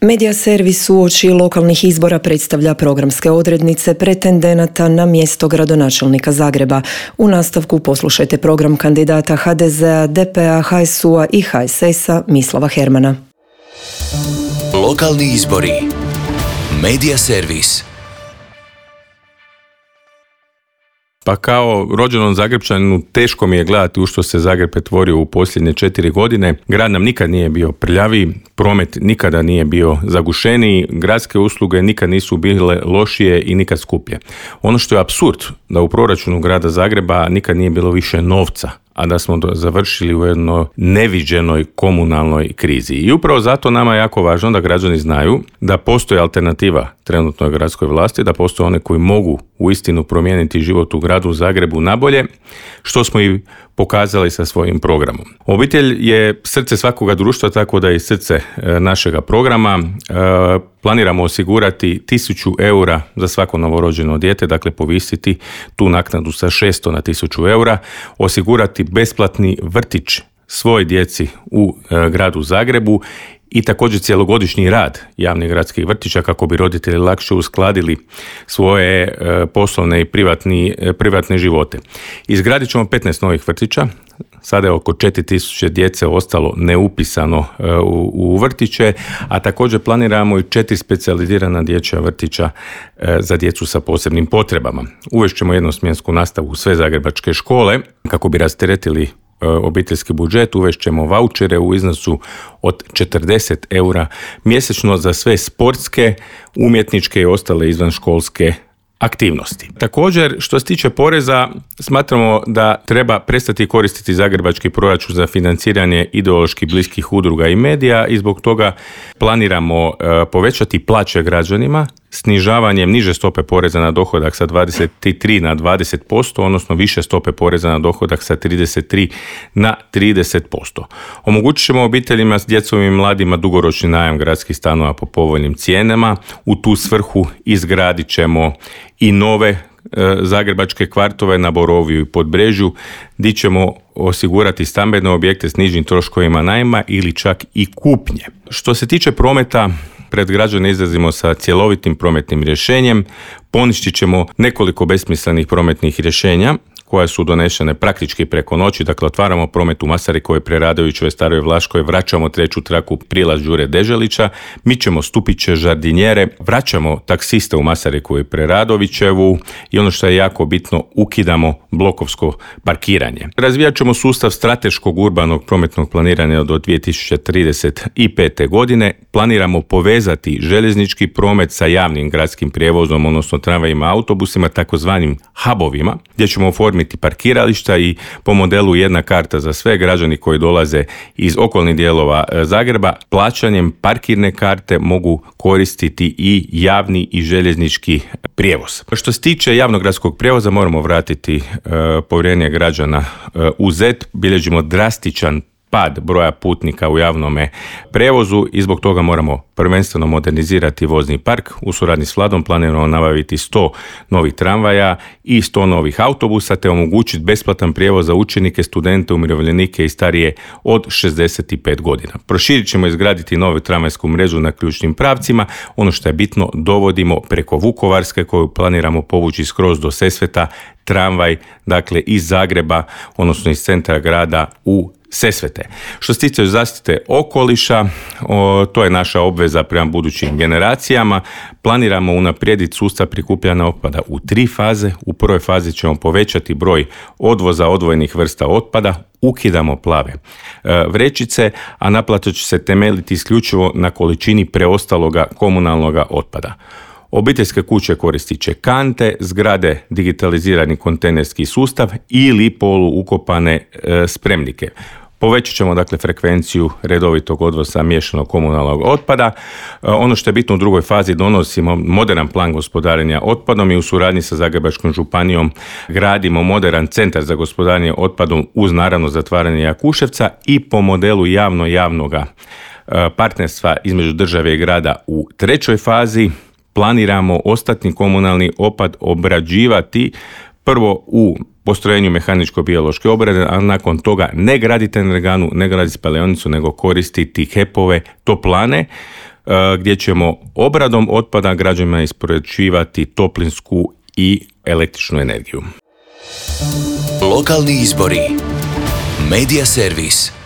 Medija servis uoči lokalnih izbora predstavlja programske odrednice pretendenata na mjesto gradonačelnika Zagreba. U nastavku poslušajte program kandidata HDZ-a, DP-a, HSU-a i HSS-a Mislava Hermana. Lokalni izbori. Medija servis. Pa kao rođenom Zagrepčaninu teško mi je gledati u što se Zagreb pretvorio u posljednje 4 godine. Grad nam nikad nije bio prljaviji, promet nikada nije bio zagušeniji, gradske usluge nikad nisu bile lošije i nikad skuplje. Ono što je apsurd da u proračunu grada Zagreba nikad nije bilo više novca, a da smo završili u jednoj neviđenoj komunalnoj krizi. I upravo zato nama je jako važno da građani znaju da postoji alternativa trenutnoj gradskoj vlasti, da postoje one koji mogu uistinu promijeniti život u gradu Zagrebu nabolje, što smo i pokazali sa svojim programom. Obitelj je srce svakoga društva, tako da je i srce našega programa. Planiramo osigurati 1000 eura za svako novorođeno dijete, dakle povisiti tu naknadu sa 600 na 1000 eura, osigurati besplatni vrtić svoj djeci u gradu Zagrebu i također cjelogodišnji rad javnih gradskih vrtića kako bi roditelji lakše uskladili svoje poslovne i privatne živote. Izgradit ćemo 15 novih vrtića. Sada je oko 4000 djece ostalo neupisano u vrtiće, a također planiramo i 4 specijalizirana dječja vrtića za djecu sa posebnim potrebama. Uvešćemo jednosmjensku nastavu u sve zagrebačke škole kako bi rasteretili obiteljski budžet, uvešćemo vaučere u iznosu od 40 eura mjesečno za sve sportske, umjetničke i ostale izvanškolske aktivnosti. Također, što se tiče poreza, smatramo da treba prestati koristiti zagrebački proračun za financiranje ideološki bliskih udruga i medija i zbog toga planiramo povećati plaće građanima snižavanjem niže stope poreza na dohodak sa 23 na 20%, odnosno više stope poreza na dohodak sa 33 na 30%. Omogućit ćemo obiteljima s djecom i mladima dugoročni najam gradskih stanova po povoljnim cijenama. U tu svrhu izgradit ćemo i nove zagrebačke kvartove na Boroviju i Podbrežju, gdje ćemo osigurati stambene objekte s nižim troškovima najma ili čak i kupnje. Što se tiče prometa, pred građane izlazimo sa cjelovitim prometnim rješenjem, poništit ćemo nekoliko besmislenih prometnih rješenja koja su donešene praktički preko noći, dakle otvaramo promet u Masarikovoj, Preradovićevoj, Staroj Vlaškoj, vraćamo treću traku prilaz Đure Deželića, mičemo stupiće, žardinjere, vraćamo taksiste u Masarikovoj, Preradovićevu i ono što je jako bitno, ukidamo blokovsko parkiranje. Razvijat ćemo sustav strateškog urbanog prometnog planiranja do 2035. godine, planiramo povezati željeznički promet sa javnim gradskim prijevozom, odnosno tramvajima i autobusima, takozvanim hubovima, gdje ćemo oformiti parkirališta i po modelu jedna karta za sve građani koji dolaze iz okolnih dijelova Zagreba, plaćanjem parkirne karte mogu koristiti i javni i željeznički prijevoz. Što se tiče javnog gradskog prijevoza, moramo vratiti povjerenje građana u ZET, bilježimo drastičan pad broja putnika u javnome prijevozu i zbog toga moramo prvenstveno modernizirati vozni park. U suradnji s Vladom planiramo nabaviti 100 novih tramvaja i 100 novih autobusa te omogućiti besplatan prijevoz za učenike, studente, umirovljenike i starije od 65 godina. Proširit ćemo izgraditi novu tramvajsku mrežu na ključnim pravcima. Ono što je bitno, dovodimo preko Vukovarske koju planiramo povući skroz do Sesveta tramvaj, dakle iz Zagreba, odnosno iz centra grada u Sesvete. Što se tiče zaštite okoliša, to je naša obveza prema budućim generacijama. Planiramo unaprijediti sustav prikupljanja otpada u 3 faze. U prvoj fazi ćemo povećati broj odvoza odvojenih vrsta otpada, ukidamo plave vrećice, a naplata će se temeljiti isključivo na količini preostaloga komunalnoga otpada. Obiteljske kuće koristit će kante, zgrade digitalizirani kontejnerski sustav ili poluukopane spremnike. Povećat ćemo dakle frekvenciju redovitog odvoza miješanog komunalnog otpada. Ono što je bitno, u drugoj fazi donosimo moderan plan gospodarenja otpadom i u suradnji sa Zagrebačkom županijom gradimo moderan centar za gospodarenje otpadom uz naravno zatvaranje Jakuševca i po modelu javnoga partnerstva između države i grada u trećoj fazi planiramo ostatni komunalni otpad obrađivati prvo u postrojenju mehaničko-biološke obrade, a nakon toga ne graditi energanu, ne graditi spalionicu, nego koristiti HEP-ove toplane gdje ćemo obradom otpada građanima isporučivati toplinsku i električnu energiju. Lokalni izbori. Medija servis.